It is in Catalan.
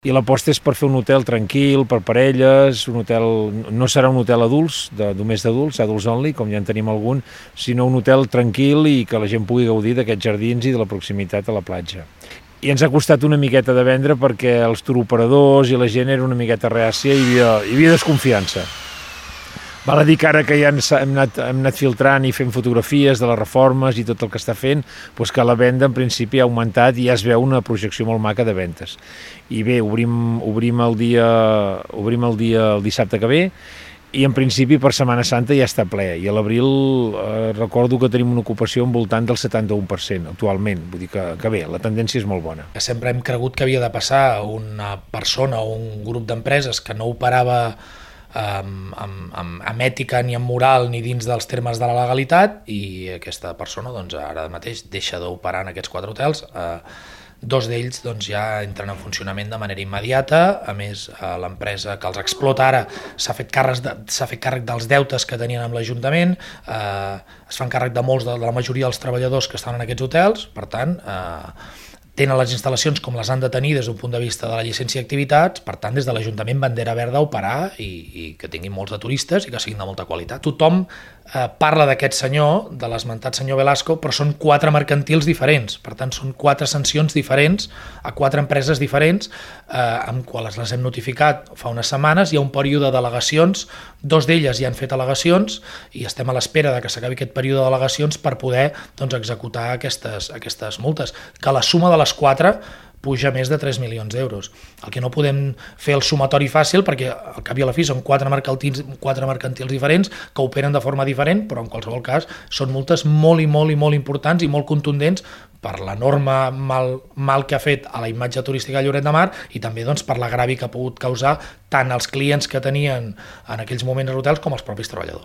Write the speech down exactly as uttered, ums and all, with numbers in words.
I l'aposta és per fer un hotel tranquil, per parelles, un hotel, no serà un hotel adults, de, només d'adults, adults only, com ja en tenim algun, sinó un hotel tranquil i que la gent pugui gaudir d'aquests jardins i de la proximitat a la platja. I ens ha costat una miqueta de vendre perquè els turoperadors i la gent era una miqueta reàcia i hi havia, hi havia desconfiança. Val a dir que ara que ja hem anat, hem anat filtrant i fent fotografies de les reformes i tot el que està fent, doncs que la venda en principi ha augmentat i ja es veu una projecció molt maca de ventes. I bé, obrim, obrim, el, dia, obrim el dia el dissabte que ve i en principi per Setmana Santa ja està ple. I a l'abril eh, recordo que tenim una ocupació al voltant del setanta-u per cent actualment, vull dir que, que bé, la tendència és molt bona. Sempre hem cregut que havia de passar una persona o un grup d'empreses que no operava Amb, amb, amb, amb ètica ni amb moral ni dins dels termes de la legalitat i aquesta persona doncs, ara mateix deixa d'operar en aquests quatre hotels. Eh, dos d'ells doncs, ja entren en funcionament de manera immediata. A més, eh, l'empresa que els explota ara s'ha fet, de, s'ha fet càrrec dels deutes que tenien amb l'Ajuntament, eh, es fan càrrec de molts de, de la majoria dels treballadors que estan en aquests hotels, per tant eh, tenen les instal·lacions com les han de tenir des d'un punt de vista de la llicència d'activitats, per tant, des de l'Ajuntament bandera verda a operar i, i que tinguin molts de turistes i que siguin de molta qualitat. Tothom eh, parla d'aquest senyor, de l'esmentat senyor Velasco, però són quatre mercantils diferents, per tant, són quatre sancions diferents a quatre empreses diferents, eh, amb quals les hem notificat fa unes setmanes. Hi ha un període d'al·legacions, dos d'elles ja han fet al·legacions i estem a l'espera de que s'acabi aquest període d'al·legacions per poder doncs, executar aquestes, aquestes multes, que la suma de les quatre puja més de tres milions d'euros. El que no podem fer el sumatori fàcil perquè al cap i a la fi són quatre mercantils, quatre mercantils diferents que operen de forma diferent, però en qualsevol cas són multes molt i molt i molt importants i molt contundents per l'enorme mal, mal que ha fet a la imatge turística de Lloret de Mar i també doncs, per l'agravi que ha pogut causar tant als clients que tenien en aquells moments als hotels com als propis treballadors.